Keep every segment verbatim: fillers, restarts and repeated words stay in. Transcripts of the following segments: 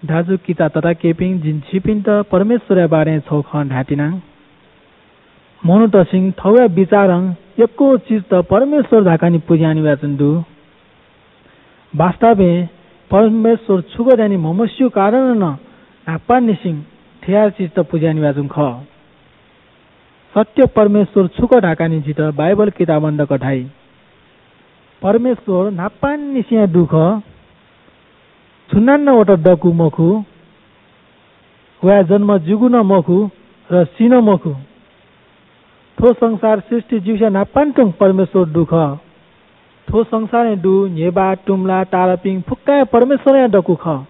दाजुकिजा तताकेहेँपिं, जिं छिपिन्त परमेश्वरया बारे छगू खँ धायेत्यना। मनूतय्‌सं थःगु बिचारं यक्व चिजत परमेश्वर धाकाः नि पुज्याः नि वयाच्वंगु दु। वास्तवय् परमेश्वर छु खः धाःनि म्हमस्यू कारणं नं न्हापांनिसें थ्व चिजत पुज्याः नि वयाच्वंगु खः। सत्य परमेश्वर छु खः धाकाः नि झीत बाइबल किताबं दकः धाइ। परमेश्वर न्हापांनिसें दु खः। सुनानं वयात दकू मखु। वया जन्म जूगु नं मखु र सी नं मखु। थ्व संसार सृष्टि जूसें न्हापांतुं परमेश्वर दु खः। थ्व संसारय् दु न्हेबा, तुम्ला, तारापिं फुक्कं परमेश्वरया दकू खः।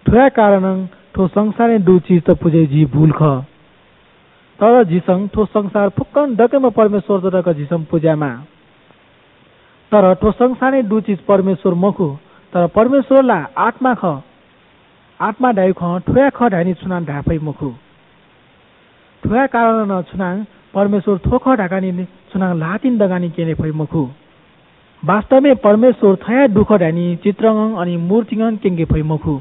थ्वया कारणं थ्व संसारय् दु चिजत पुज्याइ जुइ भूल खः। तर झीसं थ्व संसार फुक्कं दकेम्ह परमेश्वरत जक झीसं पुज्यायेमाः। तर थ्व संसारय् दु चिज परमेश्वर मखु, तर परमेश्वर ला आत्मा खः। आत्मा धाइगु खँ थ्वया खः धाइनि छुनां धाये फइ मखु। थ्वया कारणं नं छुनां परमेश्वर थ्व खः धाकाः नि छुनां ल्हातिनि दकाः नि क्यने फइ मखु। वास्तवय् परमेश्वर थ्व हे दु खः धाइनि चित्रं अले मूर्तिं क्यंके फइ मखु।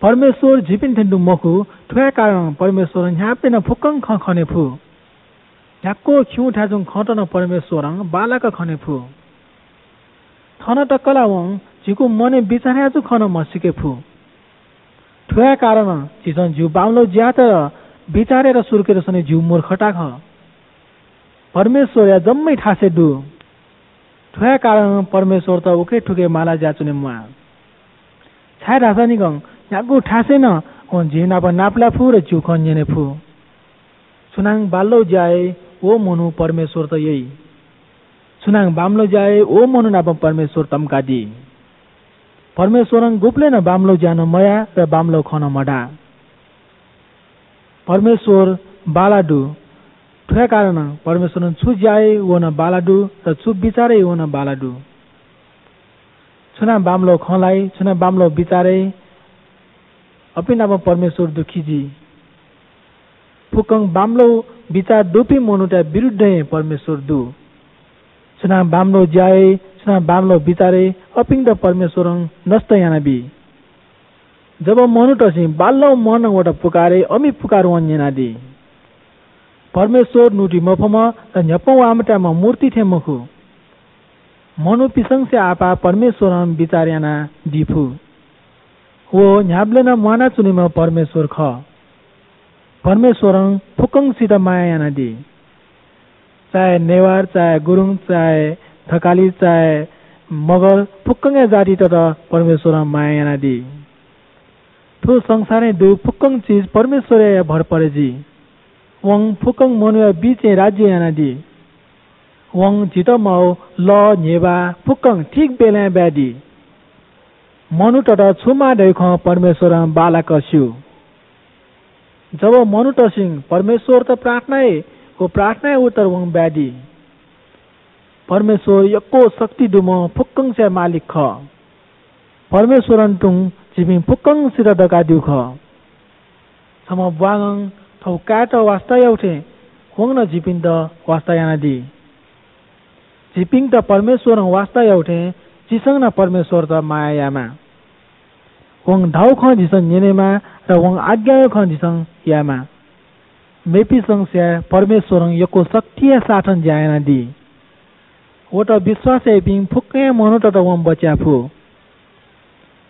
परमेश्वर झीपिं थें तुं मखु, थ्वया कारणं परमेश्वरं न्ह्याबलें नं फुक्कं खँ खने फु। न्ह्याक्व खिउँथाय् च्वंगु खँत नं परमेश्वरं बांलाक खने फु। थन तक ला वं झीगु मनय् बिचाः यानाच्वंगु खँ नं म्हसीके फु। थ्वया कारणं झीसं झीगु बांमलाःगु ज्यात, बिचारयात सुरुकेत स्वने झीगु मूर्खता खः। परमेश्वरया जम्मै थासय् दु। थ्वया कारणं परमेश्वरत उखे थुखे माला जुयाच्वने म्वाः। छाय्धाःसा निकं न्ह्यागु थासय् नं वं झी नाप नापलाये फु र झीगु खँ न्यने फु। सुनां बांमलाःगु ज्या याइ, व मनू परमेश्वरत यइ। सुनां बांमलाःगु ज्या याइ, व मनू नाप परमेश्वर तंकादी। परमेश्वरं गुबलें नं बांमलाःगु ज्या नं मयाः र बांमलाःगु खँ नं मधाः। परमेश्वर बांलाः दु। थ्वया कारणं परमेश्वरं छु ज्या याइ, व नं बांलाः दु, र छु बिचार याइ, व नं बांलाः दु। सुनां बांमलाःगु खँ ल्हाइ, सुनां बांमलाःगु बिचार याइ, अपिं नाप परमेश्वर दुःखी जुइ। फुक्कं बांमलाःगु बिचार दुपिं मनूतय् विरुद्धं हे परमेश्वर दु। सुनां बांमलाःगु ज्या याइ, सुनां बांमलाःगु बिचार याइ, अपिन्त परमेश्वरं नष्ट यानाबी। जब मनूतय्‌सं बांलाःगु मनं वयात पुकार याइ, अमि पुकार वं न्यनादी। परमेश्वर न्हूदीमफुम्ह र न्ह्यपं वाःम्ह धाःम्ह मूर्ति थें मखु। मनूपिसंसे आपाः परमेश्वरं बिचाः यानादी फु। व न्ह्याबलें नं म्वानाच्वनीम्ह परमेश्वर खः। परमेश्वरं फुक्कंसित माया यानादी। चाहे नेवार, चाहे गुरुङ, चाहे थकाली, चाहे मगर, फुक्कंया जातितय्‌त परमेश्वरं माया यानादी। थ्व संसारय् दु फुक्कं चिज परमेश्वरया भर परे जुइ। वं फुक्कं मनूया बीचय् राज्य यानादी। वं झीत माःगु लः, न्हेबा फुक्कं ठीक बेलाय् ब्यादी। मनूतय्‌त छु माः धइगु खँ परमेश्वरं बांलाक स्यू। जब मनूतय्‌सं परमेश्वरयात प्रार्थना याइ, व प्रार्थनाया उत्तर वं ब्यादी। परमेश्वर यक्व शक्ति दुम्ह फुक्कंया मालिक खः। परमेश्वरं तुं झीपिं फुक्कंसित दकादीगु खः। छम्ह ब्वाँगं थःगु काय्‌यात वास्ता याःगु थें वं नं झीपिन्त वास्ता यानादी। झीपिन्त परमेश्वरं वास्ता याःगु थें झीसं नं परमेश्वरयात माया यायेमाः। वं धाःगु खँ झीसं न्यनेमाः, र वं आज्ञा याःगु खँ झीसं यायेमाः। मेपिसं स्याये, परमेश्वरं यक्व शक्तिया साथं ज्या यानादी। वयात विश्वास याइपिं फुक्कं मनूतय्‌त वं बचय् याये फु।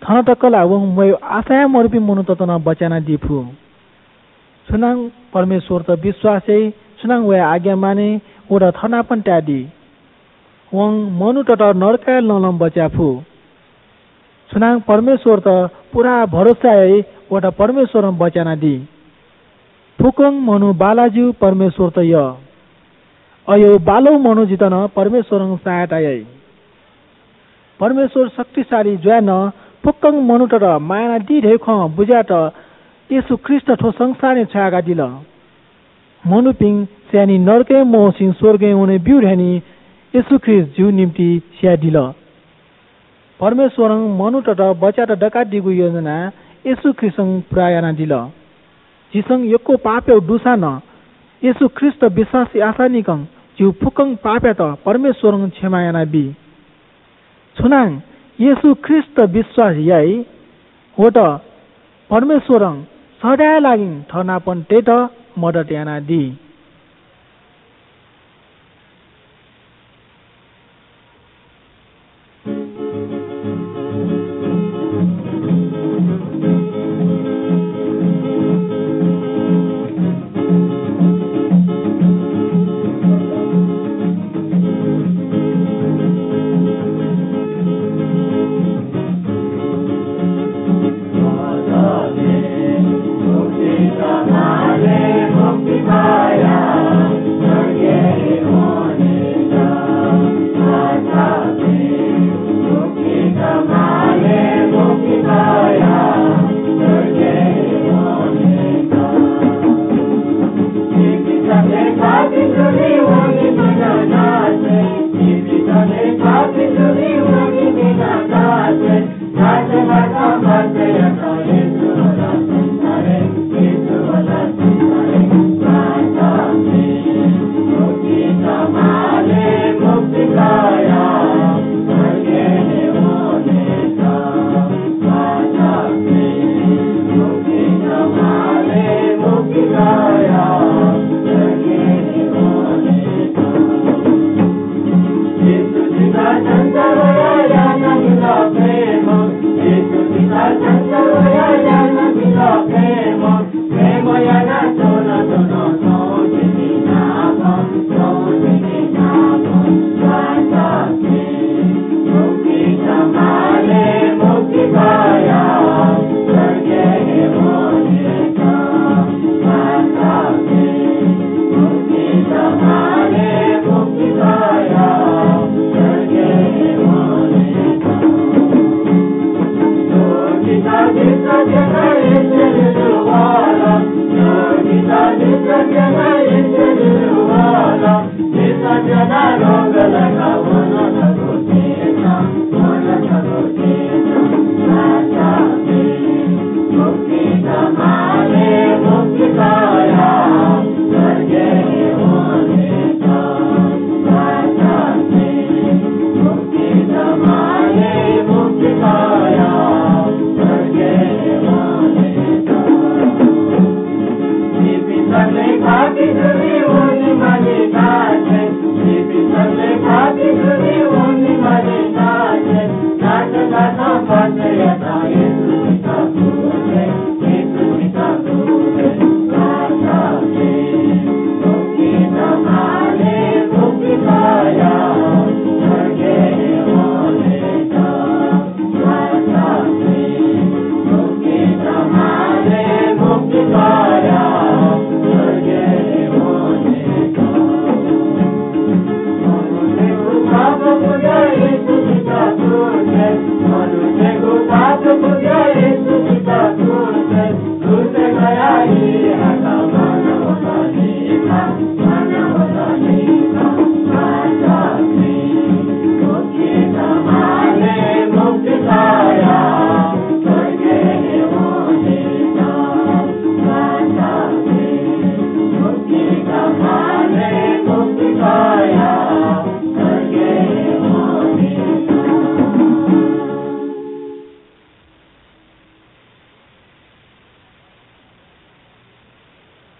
थन तक ला वं मयु आशा हे मदुपिं मनूतय्‌त नं बचय् यानादी फु। सुनां परमेश्वरयात विश्वास याइ, सुनां वया आज्ञा माने, वयात थःनापं तायेदी। वं मनूतय्‌त नरकया लँलं बचय् याये फु। सुनां परमेश्वरयात पूरा भरोसा याइ, वयात परमेश्वरं बचय् यानादी। फुक्कं मनू बांलाः ज्यू, परमेश्वरयात यः। अय्‌यू बांलाःगु मनू जुइत नं परमेश्वरं सहायता याइ। परमेश्वर शक्तिशाली जुयाः नं फुक्कं मनूतय्‌त माया यानादी धइगु खँ बुझेत येशू ख्रीष्ट थ्व संसारय् छ्वयाकादिल। मनूपिं स्यानाः नरकय् मवंसें स्वर्गय् वने ब्यू धयाः येशू ख्रीष्ट झीगु निंतिं स्यादिल। परमेश्वरं मनूतय्‌त बचय् यायेत दकादीगु योजना येशू ख्रीष्टं पूरा यानादिल। झीसं यक्व पाप याःगु दुसां नं येशू ख्रीष्टयात विश्वास याःसां निकं झीगु फुक्कं पापयात परमेश्वरं क्षमा यानाबी। सुनां येशू ख्रीष्टयात विश्वास याइ, वत परमेश्वरं सदांया लागि थःनापं तयेत मदत यानादी।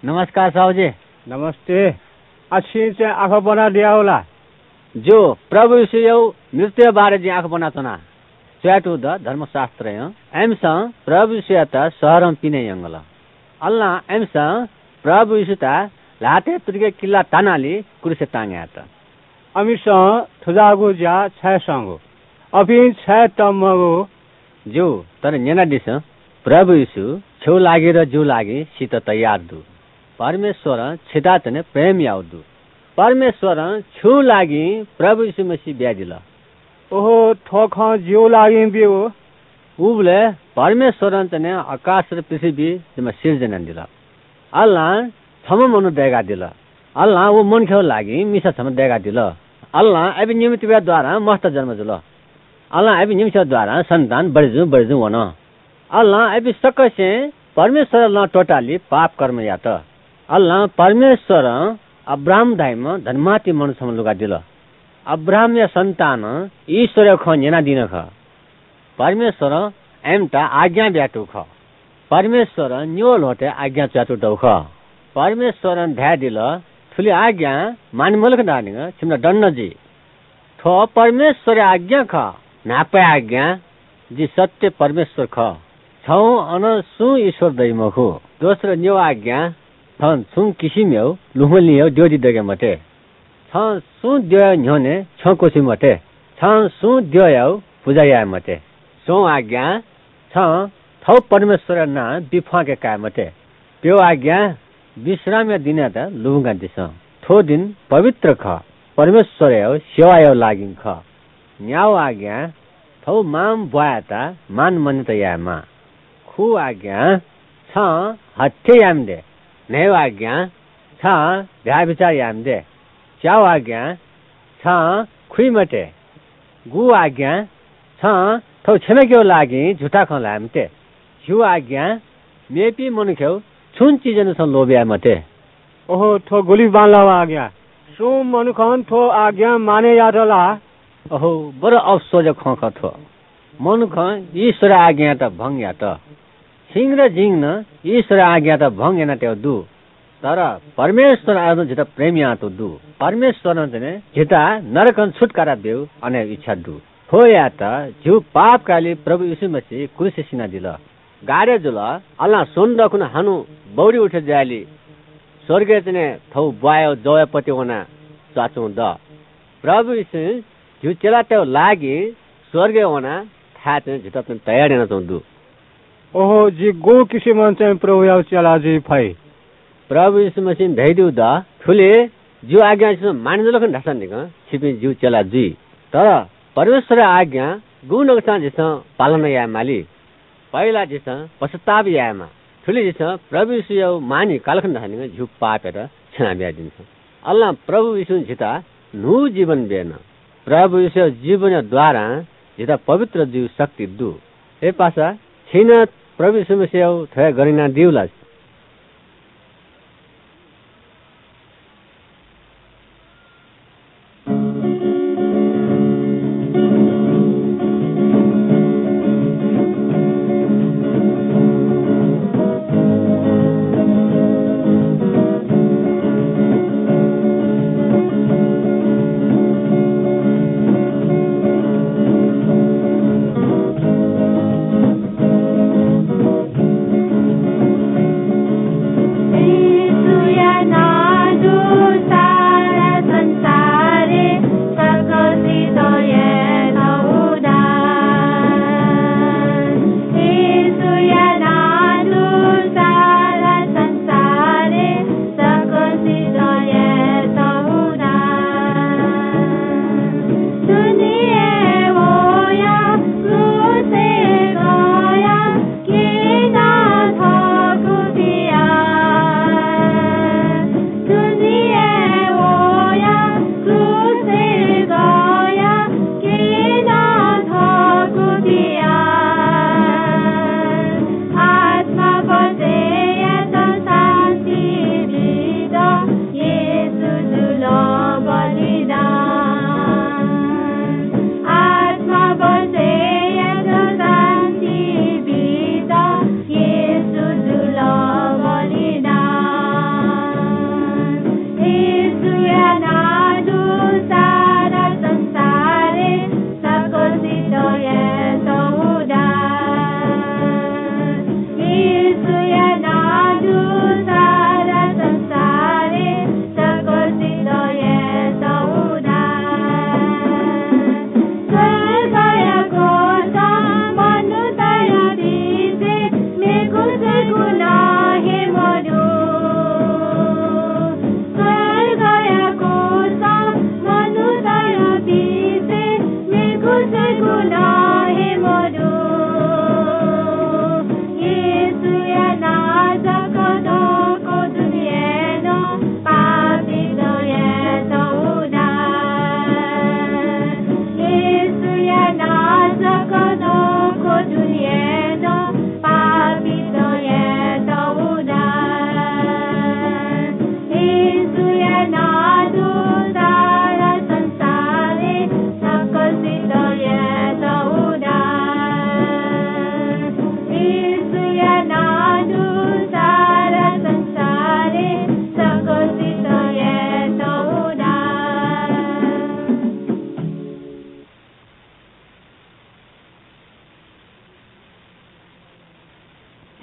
नमस्कार साहुजी। नमस्ते। आ, छिं चाहिँ आखः ब्वनादियागु ला? ज्यू, प्रभु येशूया मृत्युया बारे जिं आखः ब्वनाच्वना। च्वयातःगु दु धर्मशास्त्रय्, अय्‌मिसं प्रभु येशूयात शहरं पिने यंकल। अले नं अय्‌मिसं प्रभु येशूयात ल्हातय् तुतिके किल्ला तानालि क्रूसय् तांगय् यात। अमिसं थुजाःगु ज्या छाय् संगु? अपिं छाय् तःमगु? ज्यू, तर न्यनादिसँ, प्रभु येशू छ्यौ लागि र ज्यू लागि सीत तयार दु। परमेश्वरं छितः तने प्रेम याउ दु। परमेश्वरं छ्यौ लागि प्रभु येशू मसीह बियादिल। ओहो, थ्व खँ ज्यू लागि ब्यू। उबलय् परमेश्वरं तने आकाश र पृथ्वी जिम्मा सिर्जना यानादिल। अले नं छम्ह मनू दय्‌कादिल। अले नं व मनखेगु लागि मिसा छम्ह दय्‌कादिल। अले नं अबि निम्हतिबया द्वारां मस्त जन्म जुल। अले नं अबि निम्हसिया द्वारां सन्तान बढे जुं बढे जुं वन। अले नं अबि सकसिं परमेश्वरया लँ त्वःतालि पाप कर्म यात। अले नं परमेश्वरं अब्राहाम धाइम्ह धनमाति मनू छम्ह लुगादिल। अब्राहामया सन्तानं ईश्वरया खँ न्यनादीन खः। परमेश्वरं आइम्‍त आज्ञा बियातःगु खः। परमेश्‍वरं निवः ल्‍वहँतय् आज्ञा च्‍वयातःगु दु खः। परमेश्‍वरं धयादिल, थुलि आज्ञा माने मल्‍हुक धाःनिगः छिमित दण्‍ड जुइ। थ्‍व परमेश्‍वरया आज्ञा खः। न्‍हापाया आज्ञा, जि सत्‍य परमेश्‍वर खः। छगू अन सुं ईश्‍वर दइ मखु। दोस्रो निवः आज्ञा, छं छुं किसिमयागु लुमंलिंयागु द्यःति दय्‌के मते। छं सुं द्यःया न्‍ह्यःने छ्यं क्‍वछुइ मते। छं सुं द्यःयागु पुजा याये मते। स्वंगू आज्ञा, छं थव परमेश्‍वरया नां बिफ्‍वांके काये मते। प्‍यःगू आज्ञा, विश्रामया दिनयात लुमंकादिसँ। थ्‍व दिन पवित्र खः, परमेश्‍वरयागु सेवायागु लागिं खः। न्‍यागू आज्ञा, थव मां ब्‍वाँयात मान मान्‍यता यायेमाः। खुगू आज्ञा, छं हत्‍या याये मते। न्‍हय्‌गू आज्ञा, छं व्‍याभिचार याये मते। च्यागू आज्ञा, छं खुइ मते। गुगू आज्ञा, छं थव छेनकेगु लागिं झुठा खँ ल्‍हाये मते। झिगू आज्ञा, मेपिं मनूतय्‌गु छुं चिजय् नं छं लोभ याये मते। ओहो, थ्‍व गुलि बांलाःगु आज्ञा! सुं मनुखं थ्‍व आज्ञा मानय् यात ला? ओहो, बडा अफसोसया खँ खः थ्‍व। मनुखं ईश्‍वरया आज्ञायात भंग यात। छिं नं जिं नं ईश्‍वरया आज्ञायात भंग यानातयागु दु। तर परमेश्‍वरं अझ नं झीत प्रेम यानातःगु दु। परमेश्‍वरं चाहिँ झीत नरकं छुत्‍कारा ब्‍यूगु अनया इच्छा दु। थ्‍व यायेत झीगु पापकालि प्रभु येशू मसीह क्रूसय् सिनादिल। गाडे जुल, अलां स्वन्‍हु दखुन हानं बौरि उठे जुयालि स्‍वर्गय् चाहिँ थव ब्‍वाँया जवया पति वना च्‍वयाच्‍वंगु दः। प्रभु येशूं झीगु चेलातय्‌गु लागिं स्‍वर्गय् वनाः थाय् चाहिँ झीत चाहिँ तयार यानाच्‍वंगु दु। ओहो, जि गु किसिमं चाहिँ प्रभुयागु चेला जुइ फइ? प्रभु येशू मसीहं धयादीगु दु, थुलि जिगु आज्ञा छिमिसं माने जुल खनि धाःसा निकं छिपिं जिगु चेला जुइ। तर परमेश्‍वरया आज्ञा गुगु नकतिनि झीसं पालन याये माली। पहिला झीसं पश्‍चाताप यायेमाः। थुलि झीसं प्रभु येशूयागु मानय् काल खनि धाःसा निकं झीगु पापयात क्षमा बियादीनिकं। अलां प्रभु येशूं झीत न्‍हूगु जीवन ब्‍यन। प्रभु येशूयागु जीवनया द्वारां झीत पवित्र जुइगु शक्ति दु। हे पासा, छिं नं प्रभु येशू मसीहयागु थ्‍व हे गन यानादीगु ला?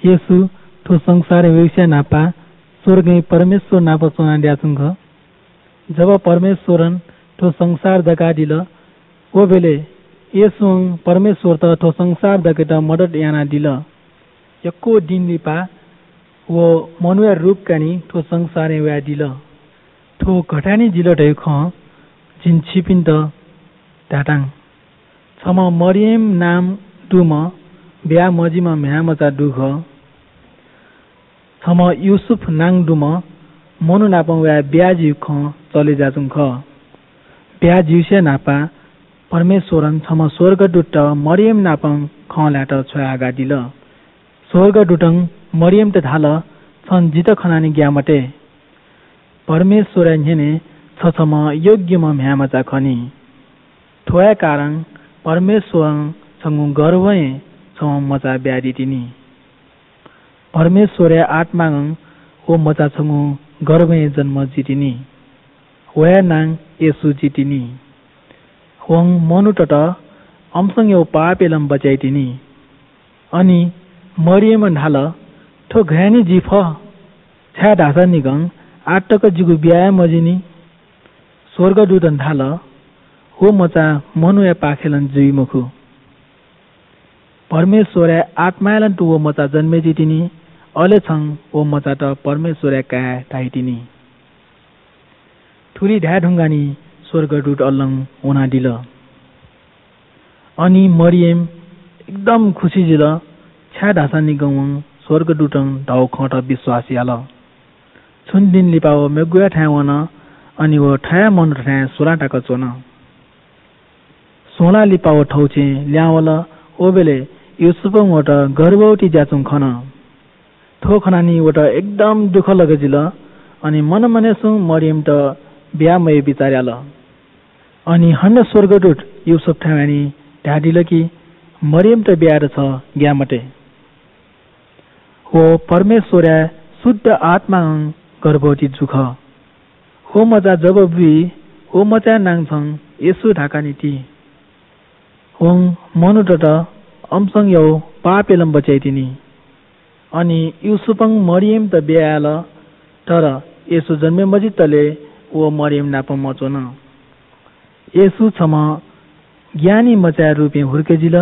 येशू थ्व संसारय् वइसे न्हापा स्वर्गय् परमेश्वर नाप च्वनादियाच्वंगु खः। जब परमेश्वरं थ्व संसार दकादिल, व बेले येशूं परमेश्वरत थ्व संसार दकेत मदत यानादिल। यक्व दिं लिपा व मनूया रूप कानि थ्व संसारय् वयादिल। थ्व गथानि जिल धइगु खँ जिं छिपिन्त धायेतां। छम्ह मरियम नां दुम्ह ब्याहा मजिम्ह म्ह्याय्‌मचा दु खः। छम्ह यूसुफ नां दुम्ह मनू नाप वयाः ब्याहा जुइगु खँ चले जुयाच्वंगु खः। ब्याहा जुइसे न्हापा परमेश्वरं छम्ह स्वर्गदूतत मरियम नाप खँ ल्हायेत छ्वयाहयादिल। स्वर्गदूतं मरियमत धाल, "छं जितः खनानि ग्याये मते। परमेश्वरया न्ह्यःने छ छम्ह योग्यम्ह म्ह्याय्‌मचा खनी। थ्व हे कारण परमेश्वरं छंगु गर्भय् छम्ह मचा बियादीतिनि। परमेश्वरया आत्मां व मचा छंगु गर्भय् जन्म जुइतिनि। वया नां येशू जुइतिनि। वं मनूतय्‌त अम्‍संयागु पापय् लँ बचय् याइतिनि।" अनि मरियमं धाल, "थ्व गय् यानाः जुइ फइ? छाय्‌धाःसा निकं आः तक जिगु ब्याहा हे मजुइनि।" स्वर्गदूतं धाल, "व मचा मनूयापाखें लँ जुइ मखु। परमेश्वरया आत्माय् लँ तुं व मचा जन्मे जुइतिनि, अले छं व मचात परमेश्वरया काय् धाइतिनि।" थुलि धाये धुंकाः नि स्वर्गदूत अल्‍लं वनादिल। अनि मरियम एकदम खुसी जुल, छाय्‌धाःसा निकं वं स्वर्गदूतं धाःगु खँत विश्‍वास याल। छुं दिं लिपा व मेगुया थाय् वन, अनि व थया मनूतय् थाय् स्वलाः तक च्‍वन। स्वलाः लिपा व थौंछेँ लिहां वल। व बेले यूसुफं वयात गर्भवती जुयाच्‍वंगु खन। थ्‍व खनाः नि वयात एकदम दुःख लगे जुल। अनि मनमनय्‌सं मरियमत ब्‍याहा मयाये बिचाः याल। अनि हानं स्‍वर्गदूत यूसुफथाय् वयाः नि धयादिल कि, "मरियमत ब्‍याहा यायेत छ ग्‍याये मते। व परमेश्‍वरया शुद्ध आत्‍मां गर्भवती जू खः। व मचा जब बुइ, व मचाया नां छं येशू धकाः नि ति। वं मनूतय्‌त अम्‍संयागु पापय् लँ बचय् याइतिनि।" अनि यूसुफं मरियमत ब्‍याहा याल, तर येशू जन्मे मजुइतले व मरियम नाप मच्‍वन। येशू छम्‍ह ज्ञानी मचाया रूपय् हुर्के जुल,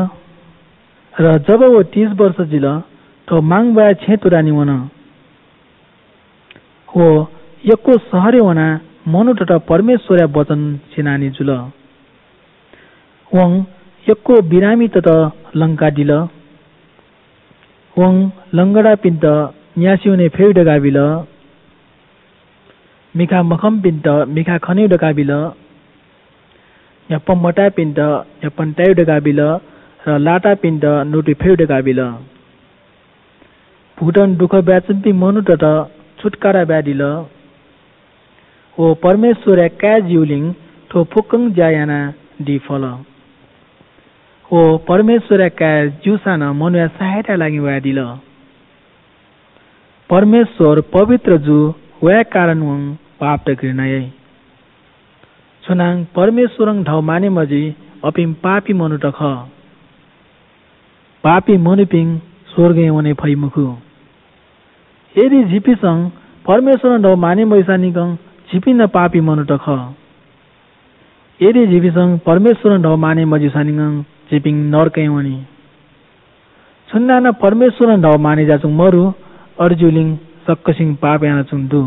र जब व तीस वर्ष जुल, थ्‍व मांबौया छेँ तुरानि वन। व यक्‍व शहरय् वनाः मनूतय्‌त परमेश्‍वरया वचन स्‍यनानि जुल। वं यक्‍व बिरामीतय्‌त लंकादिल। वं लंगडापिन्‍त न्‍यासि वने फयेगु धकाः बिल। मिखा मखंपिन्‍त मिखा खनेगु धकाः बिल। न्‍ह्यपं मताःपिन्‍त न्‍ह्यपं तायेगु धकाः बिल, र लाताःपिन्‍त न्‍वतु फयेगु धकाः बिल। भूतं दुःख ब्‍वाय्‌च्‍वंपिं मनूतय्‌त छुत्‍कारा ब्‍वाय्‌दिल। व परमेश्‍वरया काय् जूगुलिं थ्‍व फुक्‍कं ज्‍या यानादी फल। व परमेश्‍वरया काय् जूसां नं मनूया सहायताया लागि वयादिल। परमेश्‍वर पवित्र जू, वया कारण वं पापत घृणा याइ। सुनां परमेश्‍वरं धाःगु माने मजुइ, अपिं पापी मनूत खः। पापी मनूपिं स्‍वर्गय् वने फइ मखु। यदि झीपिंसं परमेश्‍वरं धाःगु माने मजुइसां निकं झीपिं नं पापी मनूत खः। यदि झीपिंसं परमेश्‍वरं धाःगु माने मजुइसां निकं झीपिं नरकय् वनी। सुनानं परमेश्‍वरं धाःगु माने जुयाच्‍वंगु मदु, अथे जूगुलिं सकसिनं पाप यानाच्‍वंगु दु।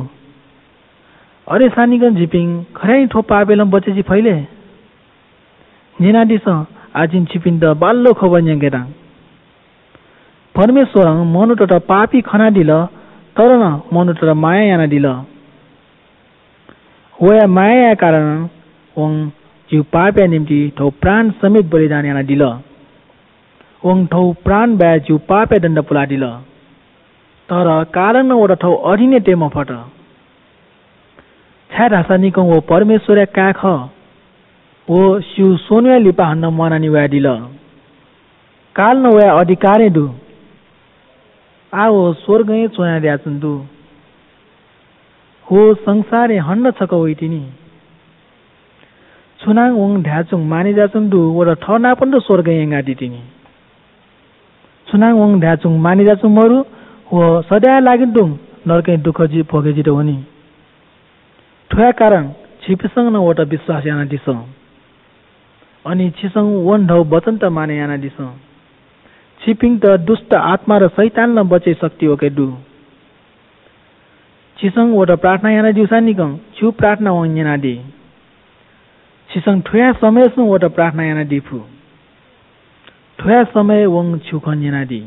अय्‌सां निकं झीपिं खःधाःसा थ्‍व पापय् लँ बचय् जुइ फइ ले? न्‍यनादिसँ, आः जिं छिपिन्‍त बांलाःगु खबर न्‍यंकेतां। परमेश्‍वरं मनूतय्‌त पापी खनादिल, तर नं मनूतय्‌त माया यानादिल। वया मायाया कारणं वं झीगु पापया निंतिं थःगु प्राण समेत बलिदान यानादिल। वं थःगु प्राण बाय् झीगु पापया दण्‍ड पुलादिल। तर कालं नं वयात थःगु अधीनय् तये मफत। छाय्‌धाःसा निकं व परमेश्‍वरया काय् खः। व स्‍यू स्वन्‍हुया लिपा हानं म्‍वानानि वयादिल। कालं नं वया अधिकारय् दु। आः व स्‍वर्गय् च्‍वनादयाच्‍वंगु दु। व संसारय् हानं छकः वइतिनि। सुनां वं धाय्‌च्‍वंगु माने जुयाच्‍वंगु दु, वयात थःनापं स्‍वर्गय् यंकादीतिनि। सुनां वं धाय्‌च्‍वंगु माने जुयाच्‍वंगु मदु, व सदांया लागि तुं नरकय् दुःख जि भोगे जित वनी। थ्वया कारण छिपिसं नं वयात विश्वास यानादिसँ। अनि छिसं वन धौ वचनत मानय् यानादिसँ। छिपिन्त दुष्ट आत्मा र शैतानलं बचय् शक्ति वके दु। छिसं वयात प्रार्थना यानादिउसां निकं छिगु प्रार्थना वं न्यनादी। छिसं थ्वया समयसं वयात प्रार्थना यानादी फु। थ्वया समय वं छिगु खँ न्यनादी।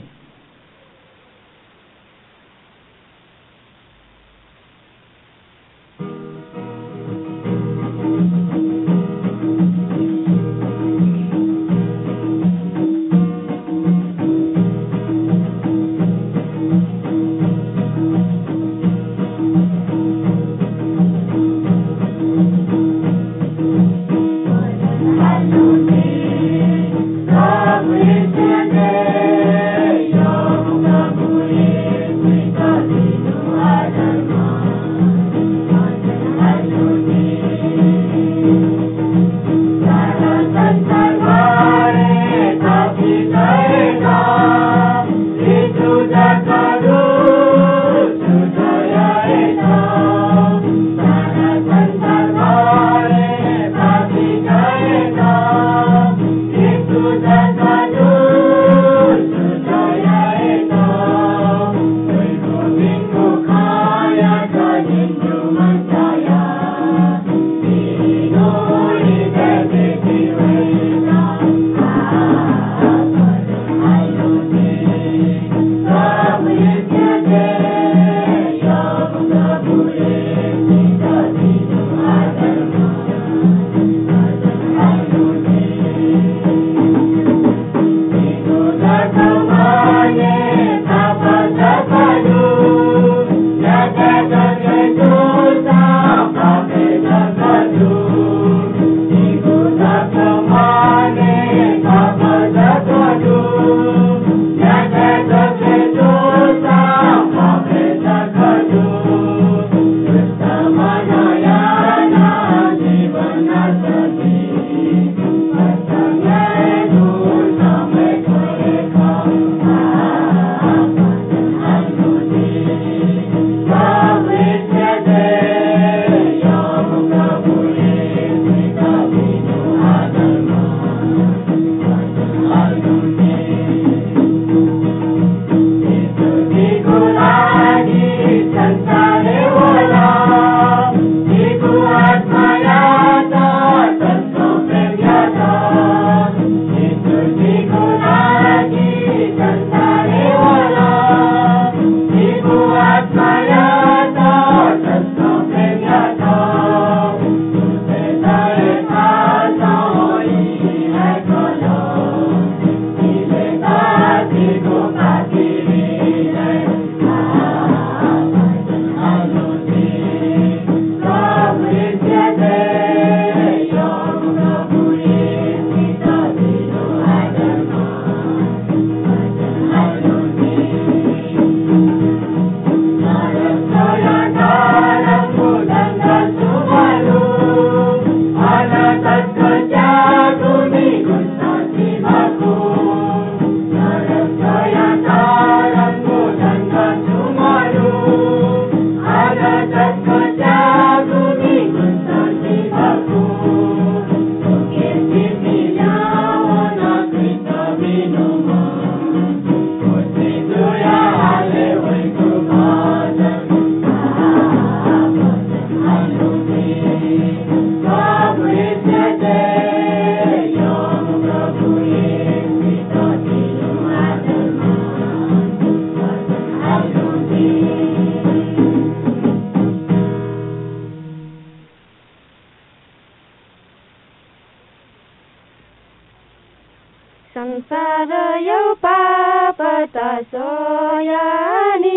संसारया पापत स्वयानि,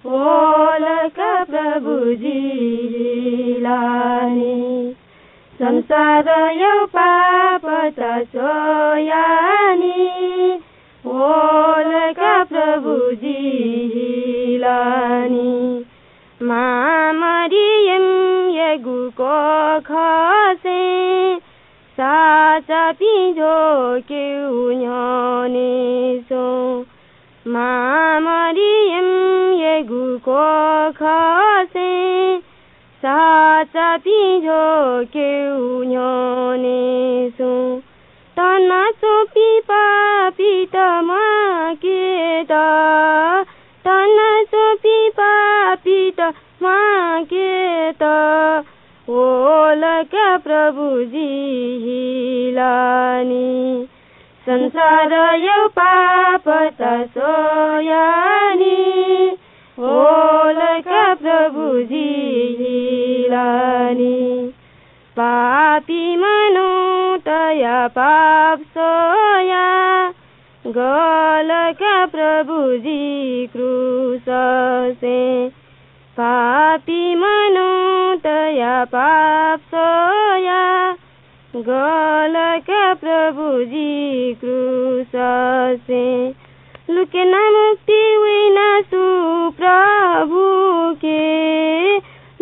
वल का प्रभु जि हिलानि। संसारया पापत स्वयानि, वल का प्रभु जि हिलानि। मां मरियमयागु कोखसय् साचापिं ज्वकेगु न्ह्यःने च्वं। मां मरियमयागु कोखसय् साचापिं झ्वकेगु न्ह्यःने सुं तनाच्वंपिं पापीत म्वाकेत, तनाच्वंपिं पापीत म्वाकेत वल का प्रभु जि हिलानि। संसारया पापत स्वयानि वल का प्रभु जि हिलानि। पापी मनूतया पाप स्वया गल का प्रभु जि क्रूससे। पापी मनूतया पाप स्वया गल का प्रभु जि क्रूससे। लुक्यना मुक्ति वइना सु प्रभुके,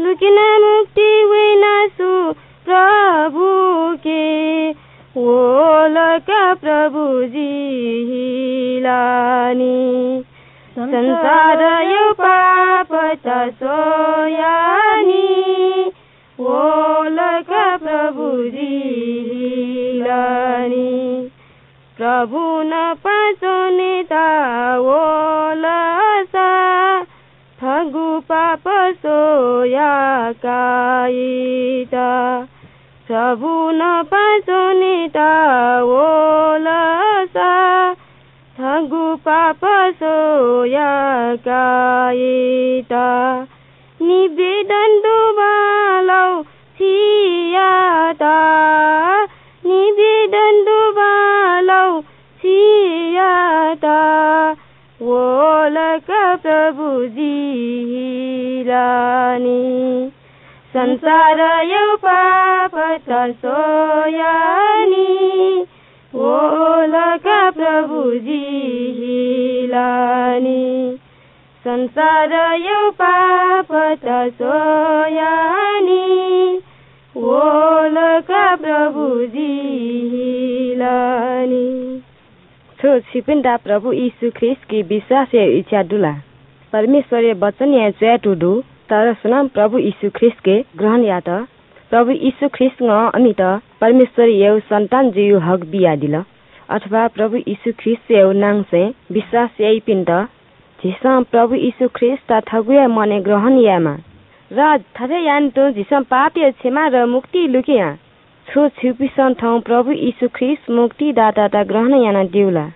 लुक्यना मुक्ति वइना सु प्रभुके, वल का प्रभु जि हिलानि। संसारया पापत स्वयानि वल का प्रभु जि हिलानि। प्रभु नाप च्वनेत वल सा थःगु पाप स्वया कायेत। प्रभु नाप च्वनेत वल सा थःगु पाप स्वया कायेत। निवेदन दु बांलाउ छियात, निवेदन दु बांलाउ छियात, वल का प्रभु जि हिलानि। संसारया पापत स्वयानि वल का प्रभु जि हिलानि। संसारया पापत स्वयानि वल का प्रभु जि हिलानि। छु छिपिन्त प्रभु येशू ख्रीष्टके विश्वास यायेगु इच्छा दु ला? परमेश्वरया वचनय् च्वयातःगु दु, तर सुनां प्रभु येशू ख्रीष्टके ग्रहण यात, प्रभु येशू ख्रीष्टं अमित परमेश्वरयागु सन्तान जुइगु हक बियादिल, अथवा प्रभु येशू ख्रीष्टयागु नांसय् विश्वास याइपिन्त झीसं प्रभु येशू ख्रीष्टयात थःगु हे मनय् ग्रहण यायेमाः। र थथे यानातुं झीसं पापया क्षमा र मुक्ति लुके या। छु छिपिसं थौं प्रभु येशू ख्रीष्ट मुक्तिदातायात ग्रहण यानादीगु ला?